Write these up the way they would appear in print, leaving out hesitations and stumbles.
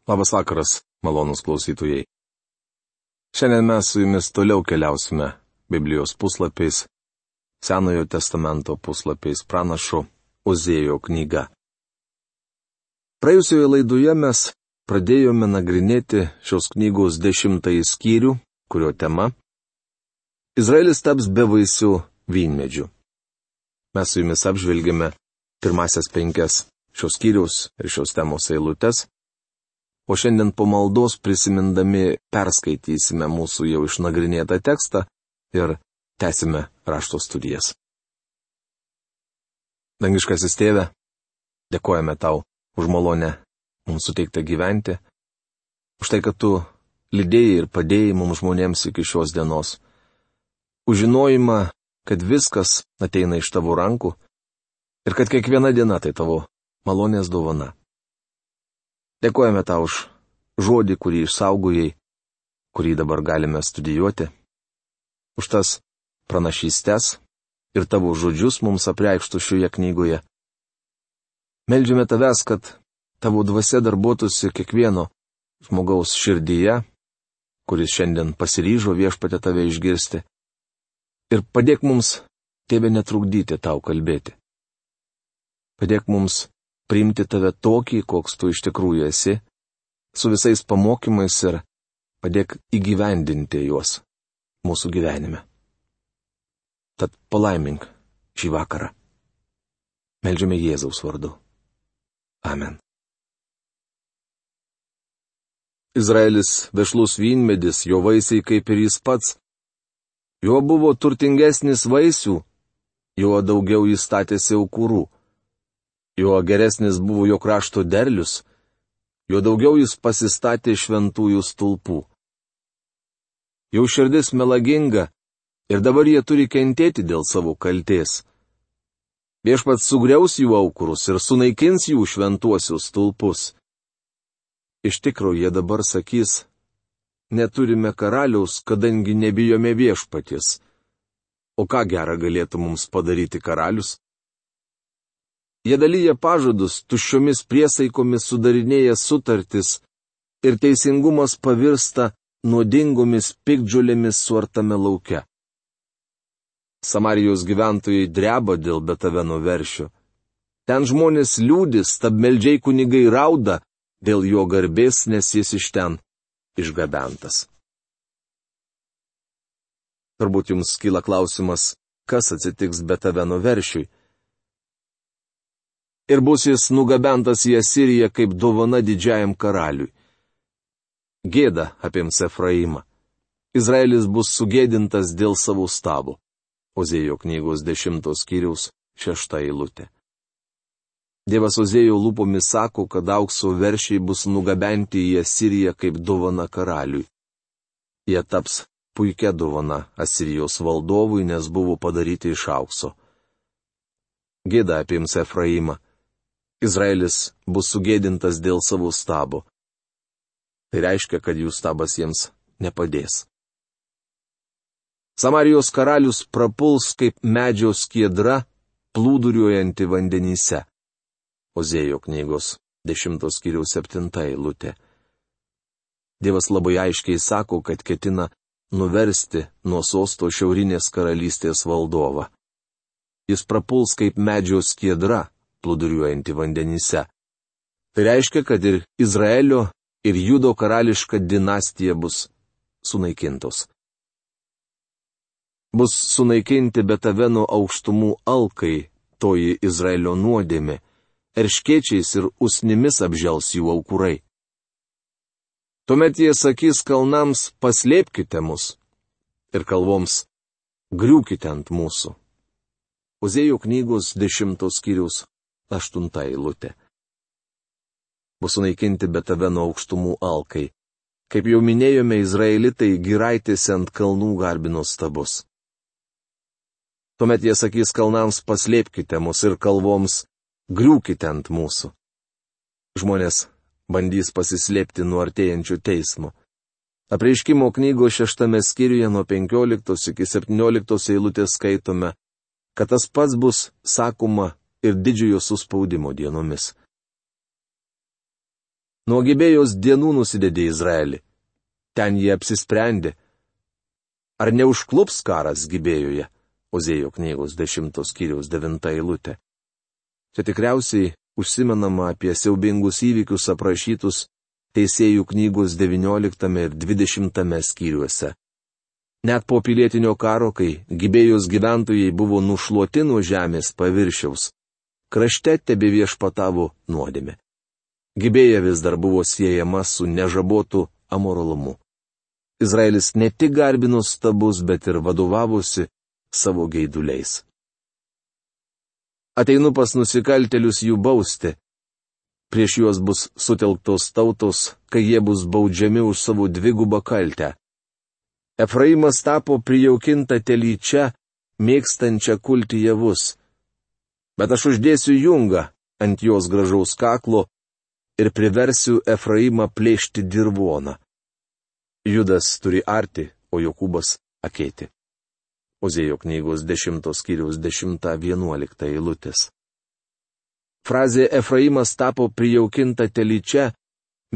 Labas vakaras, malonūs klausytojai. Šiandien mes su jumis toliau keliausime Biblijos puslapiais, Senojo testamento puslapiais pranašo Ozėjo knyga. Praėjusioje laidoje mes pradėjome nagrinėti šios knygos 10 skyrių, kurio tema – Izraelis taps bevaisių vynmedžių. Mes su jumis apžvelgėme pirmasias 5 šios skyriaus ir šios temos eilutes. O šiandien po maldos prisimindami perskaitysime mūsų jau išnagrinėtą tekstą ir tęsime rašto studijas. Dangiškasis Tėve, dėkojame Tau už malonę mums suteiktą gyventi, už tai, kad Tu lydėjai ir padėjai mums žmonėms iki šios dienos, už žinojimą, kad viskas ateina iš Tavo rankų ir kad kiekviena diena tai Tavo malonės dovana. Dėkojame Tau už žodį, kurį išsaugojai, kurį dabar galime studijuoti, už tas pranašystes ir Tavo žodžius mums apreikštų šioje knygoje. Meldžiame Tavęs, kad Tavo dvasia darbuotųsi kiekvieno žmogaus širdyje, kuris šiandien pasiryžo Viešpatie Tave išgirsti, ir padėk mums, Tėve, netrukdyti Tau kalbėti. Padėk mums priimti Tave tokį, koks Tu iš tikrųjų esi, su visais pamokymais ir padėk įgyvendinti juos mūsų gyvenime. Tad palaimink šį vakarą. Meldžiame Jėzaus vardu. Amen. Izraelis vešlus vynmedis, jo vaisiai kaip ir jis pats. Jo buvo turtingesnis vaisių, jo daugiau jis statėsi aukurų. Jo geresnis buvo jo krašto derlius, jo daugiau jis pasistatė šventųjų stulpų. Jau širdis melaginga ir dabar jie turi kentėti dėl savo kaltės. Viešpats sugriaus jų aukurus ir sunaikins jų šventuosius stulpus. Iš tikro jie dabar sakys, neturime karaliaus, kadangi nebijome Viešpaties. O ką gera galėtų mums padaryti karalius? Jie dalyja pažadus, tuščiomis priesaikomis sudarinėja sutartis ir teisingumas pavirsta nuodingomis piktžolėmis suartame lauke. Samarijos gyventojai dreba dėl Betaveno veršio. Ten žmonės liūdi, stabmeldžiai kunigai rauda dėl jo garbės, nes jis iš ten išgabentas. Turbūt jums kyla klausimas, kas atsitiks Betaveno veršiui. Ir bus jis nugabentas į Asiriją kaip dovana didžiajam karaliui. Gėda apims Efraimą. Izraelis bus sugėdintas dėl savo stabo. Ozėjo knygos 10 skyriaus 6 eilutė. Dievas Ozėjo lūpomis sako, kad aukso veršiai bus nugabenti į Asiriją kaip dovana karaliui. Jie taps puikia dovana Asirijos valdovui, nes buvo padaryti iš aukso. Gėda apims Efraimą. Izraelis bus sugėdintas dėl savo stabo. Tai reiškia, kad jų stabas jiems nepadės. Samarijos karalius prapuls kaip medžio skiedra, plūduriuojanti vandenyse. Ozėjo knygos 10 skyriaus 7 eilutė. Dievas labai aiškiai sako, kad ketina nuversti nuo sosto šiaurinės karalystės valdovą. Jis prapuls kaip medžio skiedra, plūduriuojanti vandenyse. Tai reiškia, kad ir Izraelio, ir Judo karališka dinastija bus sunaikintos. Bus sunaikinti Betaveno aukštumų alkai, toji Izraelio nuodėmė, erškėčiais ir usnimis apžels jų aukurai. Tuomet jie sakys kalnams, paslėpkite mus, ir kalvoms, griūkite ant mūsų. Ozėjo knygos 10 skyriaus 8 eilutė. Bus sunaikinti Betaveno aukštumų alkai. Kaip jau minėjome, izraelitai giraitėse ant kalnų garbino stabus. Tuomet jie sakys kalnams, paslėpkite mus, ir kalvoms, griūkite ant mūsų. Žmonės bandys pasislėpti nuo artėjančių teismų. Apreiškimo knygos 6 skyriuje nuo 15 iki 17 eilutės skaitome, kad tas pats bus sakoma ir didžiojo suspaudimo dienomis. Nuo Gibėjos dienų nusidedė Izraelį. Ten jie apsisprendė. Ar neužklups karas Gibėjoje? Ozėjo knygos 10 skyriaus 9 eilutė. Čia tikriausiai užsimenama apie siaubingus įvykius aprašytus Teisėjų knygos 19 ir 20 skyriuose. Net po pilietinio karo, kai Gibėjos gyventojai buvo nušluoti nuo žemės paviršiaus, krašte tebeviešpatavo nuodėmė. Gibėja vis dar buvo siejama su nežabotu amoralumu. Izraelis ne tik garbino stabus, bet ir vadovavosi savo geiduliais. Ateinu pas nusikaltėlius jų bausti. Prieš juos bus sutelktos tautos, kai jie bus baudžiami už savo dvigubą kaltę. Efraimas tapo prijaukinta telyčia, mėgstančia kulti javus. Bet aš uždėsiu jungą ant jos gražaus kaklo ir priversiu Efraimą plėšti dirvoną. Judas turi arti, o Jokūbas akėti. Ozėjo knygos 10 skyriaus 10-11 eilutės. Frazė Efraimas tapo prijaukinta telyčia,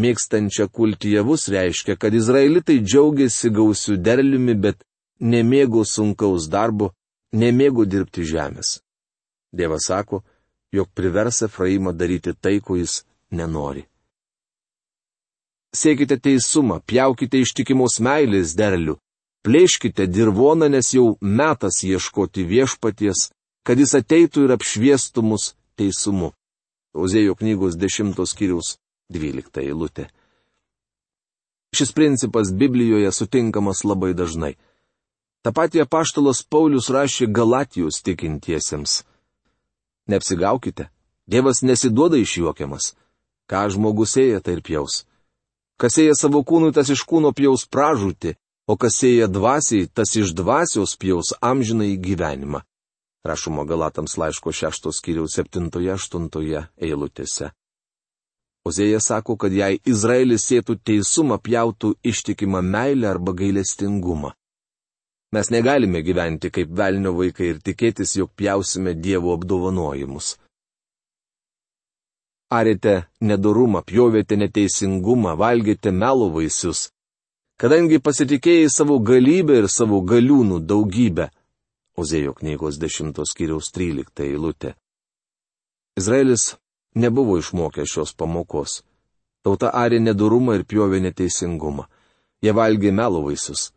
mėgstančia kulti javus reiškia, kad izraelitai džiaugiasi gausiu derliumi, bet nemėgo sunkaus darbo, nemėgo dirbti žemės. Dievas sako, jog privers Efraimą daryti tai, ko jis nenori. Siekite teisumą, pjaukite ištikimos meilės derlių, plėškite dirvoną, nes jau metas ieškoti viešpaties, kad jis ateitų ir apšviestų mus teisumu. Ozėjo knygos 10 skyriaus 12 eilutė. Šis principas Biblijoje sutinkamas labai dažnai. Ta pati apaštalas Paulius rašė Galatijos tikintiesiems. Neapsigaukite, Dievas nesiduoda išjuokiamas. Ką žmogus sėja, tai ir pjaus. Kas sėja savo kūnui, tas iš kūno pjaus pražūtį, o kas sėja dvasiai, tas iš dvasios pjaus amžinąjį gyvenimą. Rašoma Galatams laiško 6 skyriaus 7-8 eilutėse. Ozėja sako, kad jei Izraelis sėtų teisumą, pjautų ištikimą meilę arba gailestingumą. Mes negalime gyventi kaip velnio vaikai ir tikėtis, jog pjausime Dievo apdovanojimus. Arėte nedorumą, pjovėte neteisingumą, valgėte melo vaisius, kadangi pasitikėjai savo galybę ir savo galiūnų daugybę. Ozėjo knygos 10 skyriaus 13 eilutė. Izraelis nebuvo išmokęs šios pamokos. Tauta arė nedorumą ir pjovė neteisingumą. Jie valgė melo vaisius.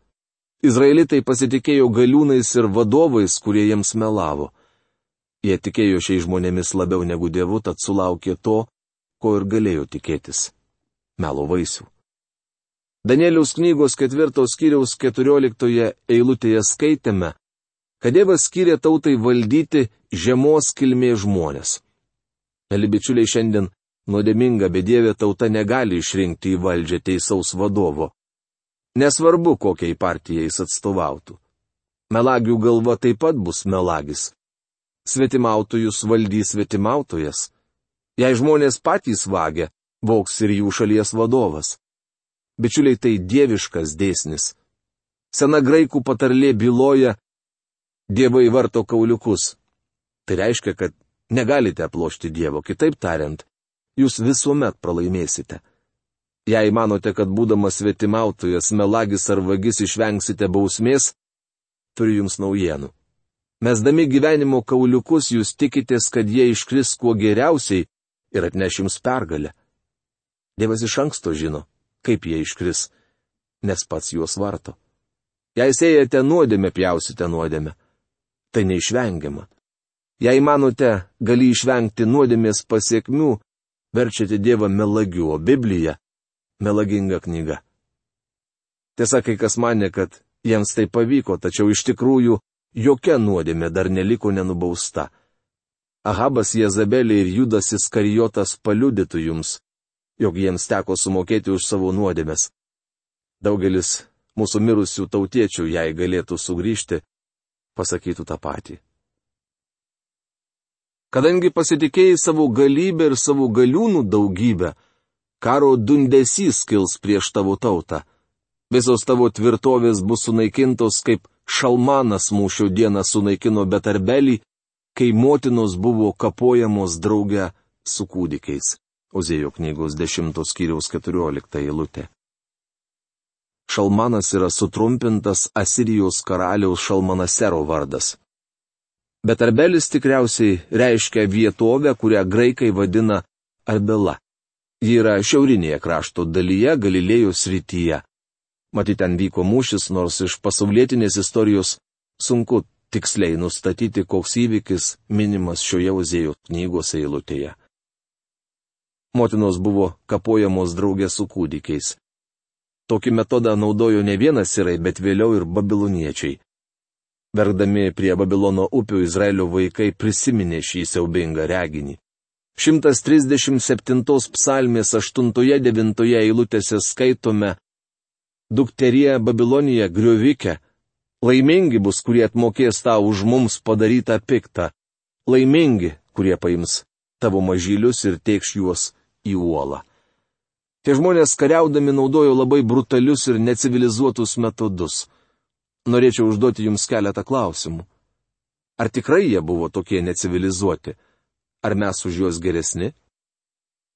Izraelitai pasitikėjo galiūnais ir vadovais, kurie jiems melavo. Jie tikėjo šiais žmonėmis labiau negu Dievu, tad sulaukė to, ko ir galėjo tikėtis - melo vaisių. Danieliaus knygos 4 skyriaus 14 eilutėje skaitėme, kad Dievas skyrė tautai valdyti žemos kilmės žmonės. Mėly bičiuliai, šiandien nuodėminga bedievė tauta negali išrinkti į valdžią teisaus vadovo. Nesvarbu, kokiai partijai jis atstovautų. Melagių galva taip pat bus melagis. Svetimautojus valdys svetimautojas. Jei žmonės patys vagia, vogs ir jų šalies vadovas. Bičiuliai, tai dieviškas dėsnis. Sena graikų patarlė byloja, dievai varto kauliukus. Tai reiškia, kad negalite aplošti Dievo, kitaip tariant, jūs visuomet pralaimėsite. Jei manote, kad būdamas svetimautojas, melagis ar vagis išvengsite bausmės, turiu jums naujienų. Mesdami gyvenimo kauliukus, jūs tikitės, kad jie iškris kuo geriausiai ir atneš jums pergalę. Dievas iš anksto žino, kaip jie iškris, nes pats juos varto. Jei sėjate nuodėmę, pjausite nuodėmę. Tai neišvengiama. Jei manote, gali išvengti nuodėmės pasiekmių, verčiate Dievą melagiu, o Biblija - melaginga knyga. Tiesa, kai kas manė, kad jiems tai pavyko, tačiau iš tikrųjų jokia nuodėmė dar neliko nenubausta. Ahabas, Jezabelė ir Judas Iskarijotas paliudytų jums, jog jiems teko sumokėti už savo nuodėmes. Daugelis mūsų mirusių tautiečių, jei galėtų sugrįžti, pasakytų tą patį. Kadangi pasitikėjai savo galybę ir savo galiūnų daugybę, karo dundesys kils prieš tavo tautą. Visos tavo tvirtovės bus sunaikintos, kaip Šalmanas mūšio dieną sunaikino Betarbelį, kai motinos buvo kapojamos drauge su kūdikiais. Ozėjo knygos 10 skyriaus 14 eilutė. Šalmanas yra sutrumpintas Asirijos karaliaus Šalmanasero vardas. Bet Arbelis tikriausiai reiškia vietovę, kurią graikai vadina Arbela. Ji yra šiaurinėje krašto dalyje, Galilėjos srityje. Matyt, ten vyko mūšis, nors iš pasaulietinės istorijos sunku tiksliai nustatyti, koks įvykis minimas šioje Ozėjo knygos eilutėje. Motinos buvo kapojamos draugė su kūdikiais. Tokį metodą naudojo ne vienas sirai, bet vėliau ir babiloniečiai. Verkdami prie Babilono upių Izraelio vaikai prisiminė šį siaubingą reginį. 137 psalmės 8-9 eilutėse skaitome: Dukterie Babilonija griovikė, laimingi bus, kurie atmokės tau už mums padarytą piktą, laimingi, kurie paims tavo mažylius ir tėkš juos į uolą. Tie žmonės kariaudami naudojo labai brutalius ir necivilizuotus metodus. Norėčiau užduoti jums keletą klausimų. Ar tikrai jie buvo tokie necivilizuoti? Ar mes už juos geresni?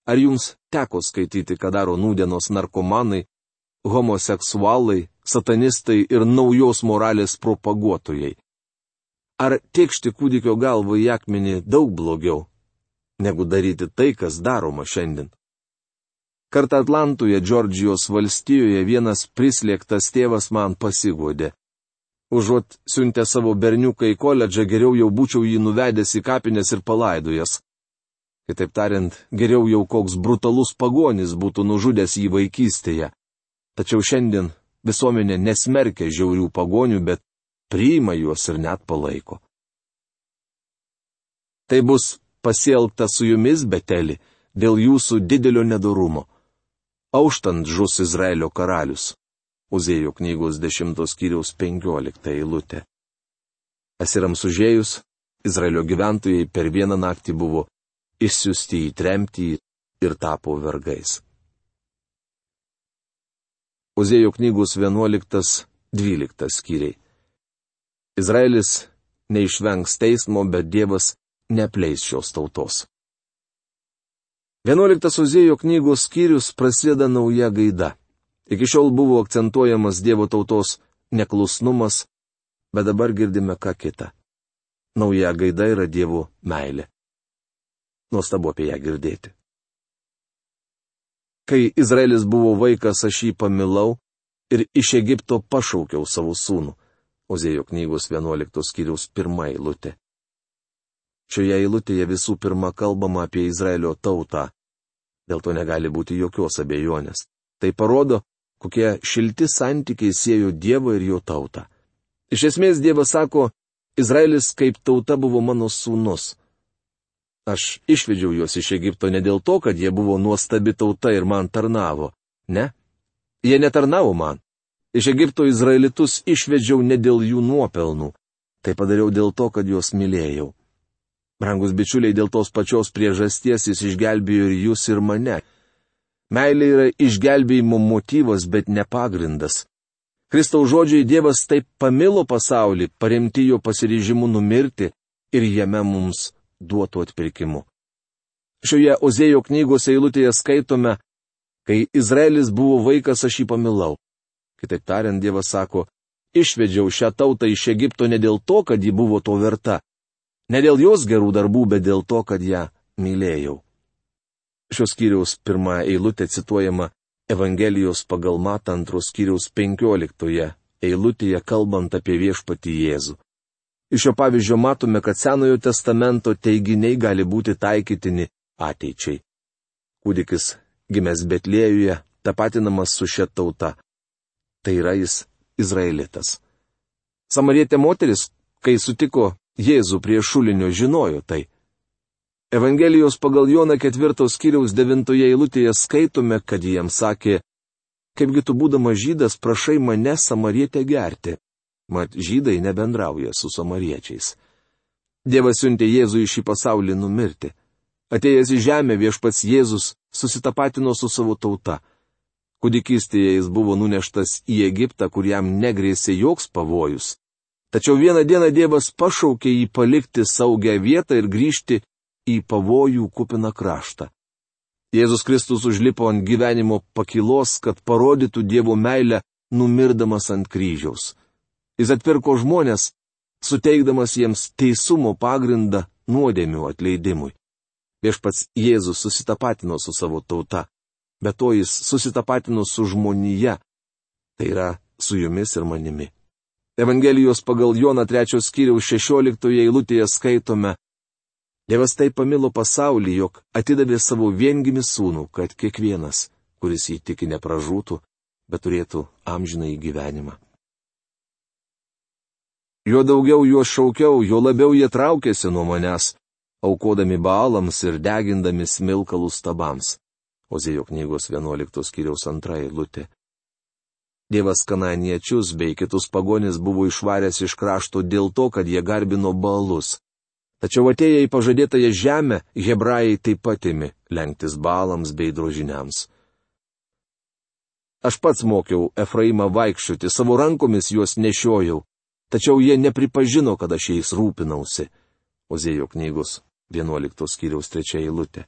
Ar jums teko skaityti, ką daro nūdienos narkomanai, homoseksualai, satanistai ir naujos moralės propaguotojai? Ar tėkšti kūdikio galvą į akmenį daug blogiau, negu daryti tai, kas daroma šiandien? Kartą Atlantoje, Džordžijos valstijoje, vienas prislėgtas tėvas man pasiguodė. Užuot siuntę savo berniuką į koledžą, geriau jau būčiau jį nuvedęs į kapines ir palaidojęs. Kitaip tariant, geriau jau koks brutalus pagonis būtų nužudęs jį vaikystėje. Tačiau šiandien visuomenė nesmerkia žiaurių pagonių, bet priima juos ir net palaiko. Tai bus pasielgta su jumis, Beteli, dėl jūsų didelio nedorumo. Auštant žus Izraelio karalius. Ozėjo knygos 10 skyriaus 15 eilutė. Asirams užėjus, Izraelio gyventojai per vieną naktį buvo išsiųsti į tremtį ir tapo vergais. Ozėjo knygos 11-12 skyriai. Izraelis neišvengs teismo, bet Dievas neapleis šios tautos. 11 Ozėjo knygos skyrius prasideda nauja gaida. Iki šiol buvo akcentuojamas Dievo tautos neklusnumas, bet dabar girdime ką kitą. Nauja gaida yra Dievo meilė. Nuostabu apie ją girdėti. Kai Izraelis buvo vaikas, aš jį pamilau ir iš Egipto pašaukiau savo sūnų. Ozėjo knygos 11 skyriaus 1 eilutė. Šioje eilutėje visų pirma kalbama apie Izraelio tautą. Dėl to negali būti jokios abejonės. Tai parodo, kokie šilti santykiai siejo Dievą ir jo tautą. Iš esmės Dievas sako, Izraelis kaip tauta buvo mano sūnus. Aš išvedžiau juos iš Egipto ne dėl to, kad jie buvo nuostabi tauta ir man tarnavo. Ne, jie netarnavo man. Iš Egipto izraelitus išvedžiau ne dėl jų nuopelnų. Tai padariau dėl to, kad juos mylėjau. Brangus bičiuliai, dėl tos pačios priežasties jis išgelbėjo ir jūs ir mane. Meilė yra išgelbėjimo motyvas, bet ne pagrindas. Kristaus žodžiai Dievas taip pamilo pasaulį, paremti jo pasiryžimu numirti ir jame mums duotų atpirkimu. Šioje Ozėjo knygos eilutėje skaitome, kai Izraelis buvo vaikas, aš jį pamilau. Kitaip tariant, Dievas sako, išvedžiau šią tautą iš Egipto ne dėl to, kad ji buvo to verta, ne dėl jos gerų darbų, bet dėl to, kad ją mylėjau. Šios skyriaus 1 eilutė cituojama Evangelijos pagal Matą 2 skyriaus 15 eilutėje kalbant apie viešpatį Jėzų. Iš šio pavyzdžio matome, kad Senojo testamento teiginiai gali būti taikytini ateičiai. Kūdikis gimęs Betlėjuje tapatinamas su šia tauta. Tai yra jis izraelitas. Samarietė moteris, kai sutiko Jėzų prie šulinio, žinojo tai. Evangelijos pagal Joną 4 skyriaus 9 eilutėje skaitome, kad jiems sakė, kaipgi tu būdamas žydas prašai mane samarietę gerti. Mat žydai nebendrauja su samariečiais. Dievas siuntė Jėzų į šį pasaulį numirti. Atėjęs į žemę viešpats Jėzus susitapatino su savo tauta. Kūdikystėje jis buvo nuneštas į Egiptą, kur jam negrėsė joks pavojus. Tačiau vieną dieną Dievas pašaukė jį palikti saugią vietą ir grįžti į pavojų kupiną kraštą. Jėzus Kristus užlipo ant gyvenimo pakylos, kad parodytų Dievo meilę, numirdamas ant kryžiaus. Jis atpirko žmonės, suteikdamas jiems teisumo pagrindą nuodėmių atleidimui. Viešpats Jėzus susitapatino su savo tauta, bet to jis susitapatino su žmonija, tai yra su jumis ir manimi. Evangelijos pagal Joną 3 skyriaus 16 eilutėje skaitome: Dievas taip pamilo pasaulį, jog atidavė savo viengimį sūnų, kad kiekvienas, kuris jį tiki, nepražūtų, bet turėtų amžinąjį gyvenimą. Jo daugiau juos šaukiau, jo labiau jie traukėsi nuo manęs, aukodami Baalams ir degindami smilkalus stabams. Ozėjo knygos 11 skyriaus 2 eilutė. Dievas kananiečius bei kitus pagonis buvo išvaręs iš krašto dėl to, kad jie garbino Baalus. Tačiau atėję į pažadėtąją žemę, hebrajai taip pat ėmė lenktis Baalams bei drožiniams. Aš pats mokiau Efraimą vaikščioti, savo rankomis juos nešiojau, tačiau jie nepripažino, kad aš jais rūpinausi. Ozėjo knygos 11 skyriaus 3 eilutė.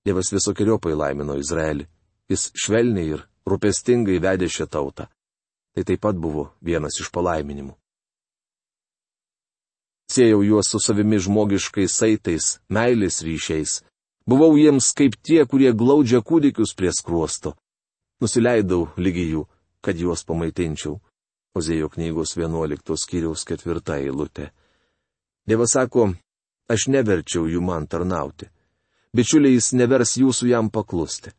Dievas visokiojopai laimino Izraelį. Jis švelniai ir rūpestingai vedė šią tautą. Tai taip pat buvo vienas iš palaiminimų. Siejau juos su savimi žmogiškais saitais, meilės ryšiais. Buvau jiems kaip tie, kurie glaudžia kūdikius prie skruosto. Nusileidau lygi jų, kad juos pamaitinčiau. Ozėjo knygos 11 skyriaus 4 eilutė. Dievas sako, aš neverčiau jų man tarnauti. Bičiuliai, jis nevers jūsų jam paklusti.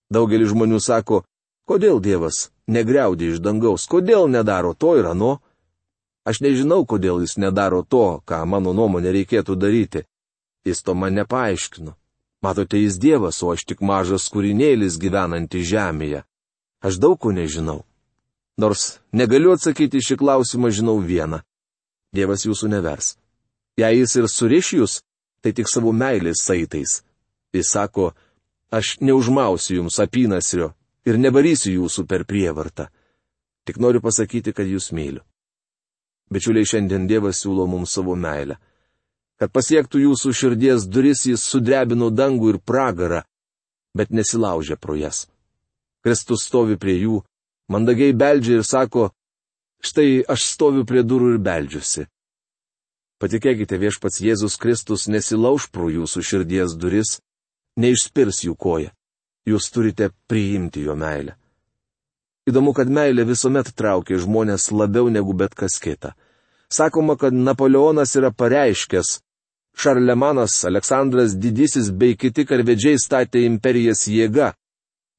Daugelis žmonių sako, kodėl Dievas negriaudė iš dangaus, kodėl nedaro to ir ano? Aš nežinau, kodėl jis nedaro to, ką mano nuomonė reikėtų daryti. Jis to man nepaaiškino. Matote, jis Dievas, o aš tik mažas kūrinėlis gyvenanti žemėje. Aš daug ko nežinau. Nors negaliu atsakyti šį klausimą, žinau vieną. Dievas jūsų nevers. Jei jis ir suriš jūs, tai tik savo meilės saitais. Jis sako, aš neužmausiu jums apynasrio ir nevarysiu jūsų per prievartą. Tik noriu pasakyti, kad jūs myliu. Bičiuliai, šiandien Dievas siūlo mums savo meilę. Kad pasiektų jūsų širdies duris, jis sudrebino dangų ir pragarą, bet nesilaužė pro jas. Kristus stovi prie jų, mandagiai beldžia ir sako, štai aš stoviu prie durų ir beldžiuosi. Patikėkite, viešpats Jėzus Kristus nesilauž pro jūsų širdies duris, neišspirs jų koją. Jūs turite priimti jo meilę. Įdomu, kad meilė visuomet traukia žmonės labiau negu bet kas kita. Sakoma, kad Napoleonas yra pareiškęs, Šarlemanas, Aleksandras Didysis bei kiti karvedžiai statė imperijas jėga.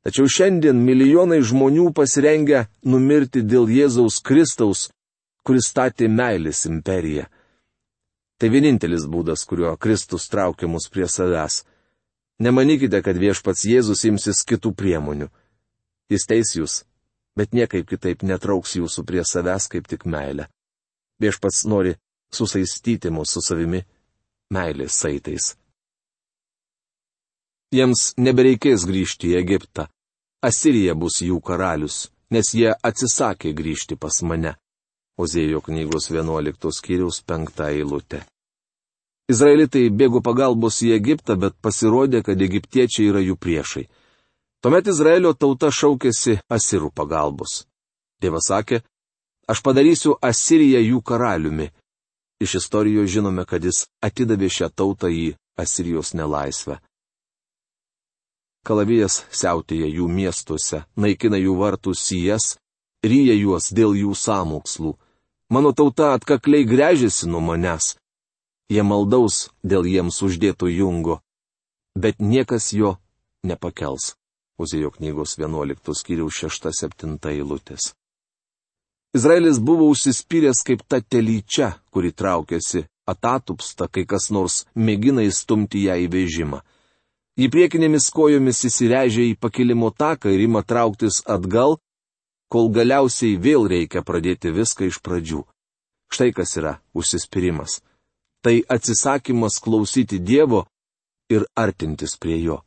Tačiau šiandien milijonai žmonių pasirengia numirti dėl Jėzaus Kristaus, kuris statė meilės imperiją. Tai vienintelis būdas, kuriuo Kristus traukia mus prie savęs. Nemanykite, kad viešpats Jėzus imsis kitų priemonių. Jis teis jūs, bet niekaip kitaip netrauks jūsų prie savęs kaip tik meilę. Viešpats nori susaistyti mus su savimi meilės saitais. Jiems nebereikės grįžti į Egiptą. Asirija bus jų karalius, nes jie atsisakė grįžti pas mane. Ozėjo knygos 11 skyriaus 5 eilutė. Izraelitai bėgo pagalbos į Egiptą, bet pasirodė, kad egiptiečiai yra jų priešai. Tuomet Izraelio tauta šaukėsi asirų pagalbos. Dievas sakė, aš padarysiu Asiriją jų karaliumi. Iš istorijos žinome, kad jis atidavė šią tautą į Asirijos nelaisvę. Kalavijas siautėja jų miestuose, naikina jų vartų sijas, ryja juos dėl jų sąmokslų. Mano tauta atkakliai gręžiasi nuo manęs. Jie maldaus dėl jiems uždėto jungo, bet niekas jo nepakels. Ozėjo knygos 11 skyriaus 6-7 eilutės. Izraelis buvo užsispyręs kaip ta telyčia, kuri traukėsi atatupsta, kai kas nors mėgina įstumti ją į vežimą. Ji priekinėmis kojomis įsivežė į pakilimo taką ir ima trauktis atgal, kol galiausiai vėl reikia pradėti viską iš pradžių. Štai kas yra užsispyrimas. Tai atsisakymas klausyti Dievo ir artintis prie jo.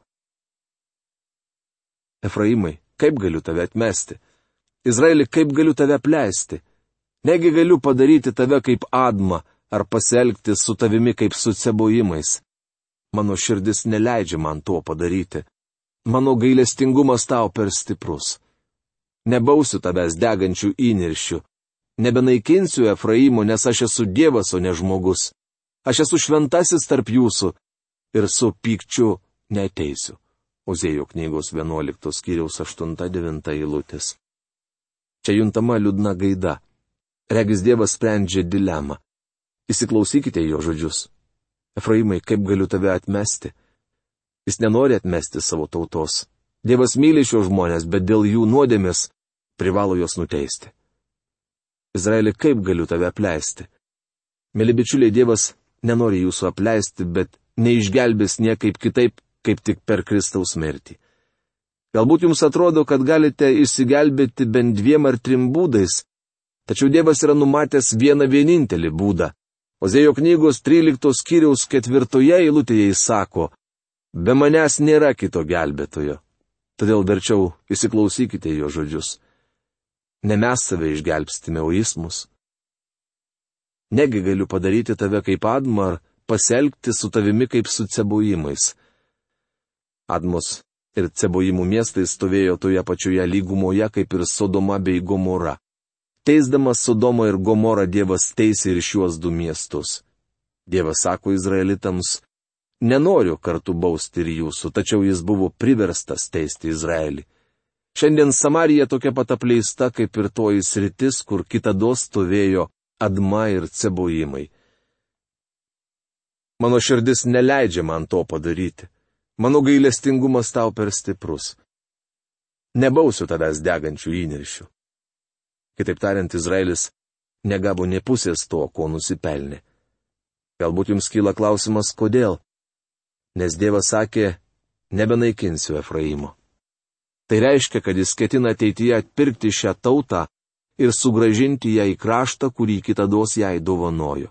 Efraimai, kaip galiu tave atmesti? Izraeli, kaip galiu tave apleisti? Negi galiu padaryti tave kaip Admą ar pasielgti su tavimi kaip su cebojimais? Mano širdis neleidžia man to padaryti. Mano gailestingumas tau per stiprus. Nebausiu tavęs degančių įniršių. Nebenaikinsiu Efraimo, nes aš esu Dievas, o ne žmogus. Aš esu šventasis tarp jūsų ir su pykčiu neteisiu. Ozėjo knygos 11 skyriaus 8-9 eilutės. Čia juntama liūdna gaida. Regis Dievas sprendžia dilemą. Įsiklausykite jo žodžius. Efraimai, kaip galiu tave atmesti? Jis nenori atmesti savo tautos. Dievas myli šios žmonės, bet dėl jų nuodėmės privalo juos nuteisti. Izraeli, kaip galiu tave apleisti? Mėly bičiuliai, Dievas nenori jūsų apleisti, bet neišgelbės niekaip kitaip, kaip tik per Kristaus mirtį. Galbūt jums atrodo, kad galite išsigelbėti bent 2 ar 3 būdais, tačiau Dievas yra numatęs vieną vienintelį būdą. Ozėjo knygos 13 skyriaus 4 eilutėje jis sako: be manęs nėra kito gelbėtojo. Todėl verčiau įsiklausykite jo žodžius. Ne mes save išgelbstime, o jis mus. Negi galiu padaryti tave kaip Admą ar pasielgti su tavimi kaip su Cebojimais. Admos ir Cebojimų miestai stovėjo toje pačioje lygumoje kaip ir Sodoma bei Gomora. Teisdamas Sodomą ir Gomorą Dievas teisė ir šiuos 2 miestus. Dievas sako izraelitams: nenoriu kartu bausti ir jūsų, tačiau jis buvo priverstas teisti Izraelį. Šiandien Samarija tokia pat apleista kaip ir toji sritis, kur kitados stovėjo Adma ir Cebojimai. Mano širdis neleidžia man to padaryti. Mano gailestingumas tau per stiprus. Nebausiu tavęs degančių įniršių. Kitaip tariant, Izraelis negavo nė pusės to, ko nusipelnė. Galbūt jums kyla klausimas, kodėl? Nes Dievas sakė: nebenaikinsiu Efraimo. Tai reiškia, kad jis ketina ateityje atpirkti šią tautą ir sugrąžinti ją į kraštą, kurį kitados jai dovanojo.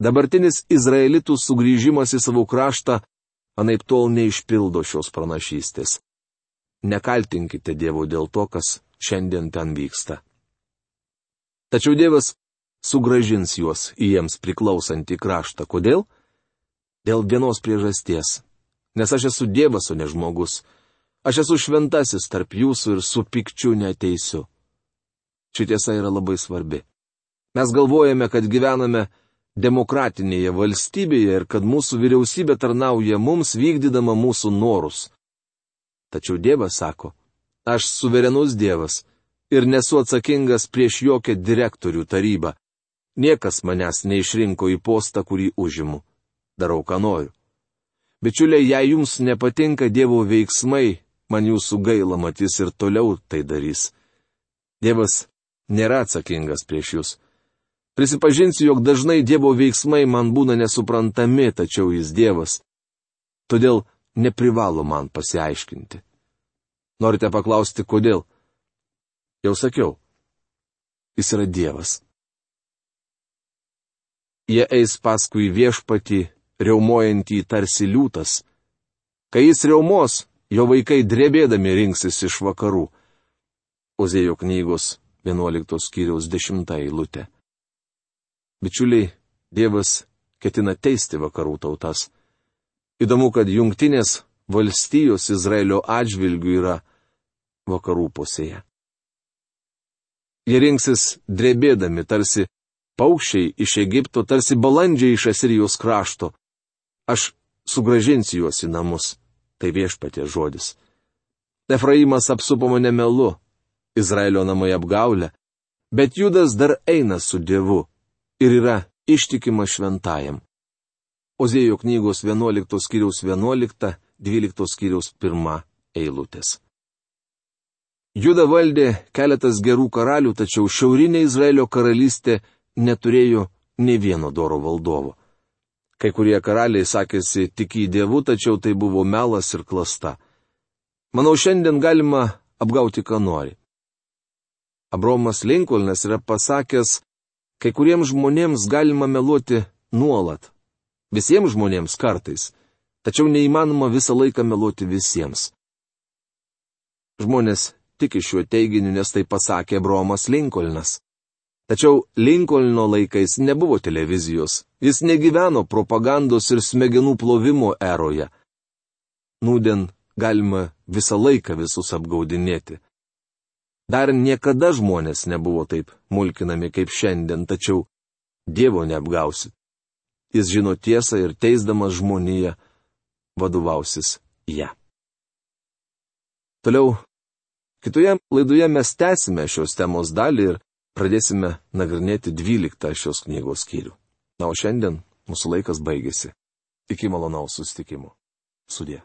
Dabartinis izraelitų sugrįžimas į savo kraštą anaiptol neišpildo šios pranašystės. Nekaltinkite Dievo dėl to, kas šiandien ten vyksta. Tačiau Dievas sugrąžins juos į jiems priklausantį kraštą. Kodėl? Dėl vienos priežasties. Nes aš esu Dievas, o ne žmogus. Aš esu šventasis tarp jūsų ir su pykčiu neteisiu. Ši tiesa yra labai svarbi. Mes galvojame, kad gyvename demokratinėje valstybėje ir kad mūsų vyriausybė tarnauja mums, vykdydama mūsų norus. Tačiau Dievas sako: aš suverenus Dievas ir nesu atsakingas prieš jokią direktorių tarybą. Niekas manęs neišrinko į postą, kurį užimu. Darau, ką noriu. Bičiuliai, jei jums nepatinka Dievo veiksmai, man jūsų gaila, mat jis ir toliau tai darys. Dievas nėra atsakingas prieš jūs. Prisipažinsiu, jog dažnai Dievo veiksmai man būna nesuprantami, tačiau jis Dievas. Todėl neprivalo man pasiaiškinti. Norite paklausti, kodėl? Jau sakiau, jis yra Dievas. Jie eis paskui viešpatį, riaumojantį tarsi liūtas. Kai jis riaumos, jo vaikai drebėdami rinksis iš vakarų. Ozėjo knygos 11 skyriaus 10 eilutė. Bičiuliai, Dievas ketina teisti vakarų tautas. Įdomu, kad Jungtinės valstijos Izraelio atžvilgių yra vakarų pusėje. Jie rinksis drebėdami tarsi paukščiai iš Egipto, tarsi balandžiai iš Asirijos krašto. Aš sugrąžinsiu juos į namus. Tai viešpaties žodis. Efraimas apsupo mane melu, Izraelio namai apgaulę, bet Judas dar eina su Dievu ir yra ištikimas šventajam. Ozėjo knygos 11 skyriaus 11, 12 skyriaus 1 eilutės. Juda valdė keletas gerų karalių, tačiau šiaurinė Izraelio karalystė neturėjo nė vieno doro valdovo. Kai kurie karaliai sakėsi tik į Dievų, tačiau tai buvo melas ir klasta. Manau, šiandien galima apgauti, ką nori. Abraomas Lincolnas yra pasakęs, kai kuriems žmonėms galima meluoti nuolat. Visiems žmonėms kartais. Tačiau neįmanoma visą laiką meluoti visiems. Žmonės tiki šiuo teiginiu, nes tai pasakė Abraomas Lincolnas. Tačiau Linkolno laikais nebuvo televizijos, jis negyveno propagandos ir smegenų plovimo eroje. Nūdien galima visą laiką visus apgaudinėti. Dar niekada žmonės nebuvo taip mulkinami kaip šiandien, tačiau Dievo neapgausi. Jis žino tiesą ir teisdamas žmoniją vadovausis ją. Toliau, kitoje laidoje mes tęsime šios temos dalį ir pradėsime nagrinėti 12 šios knygos skyrių. Na, o šiandien mūsų laikas baigėsi. Iki malonaus susitikimo. Sudie.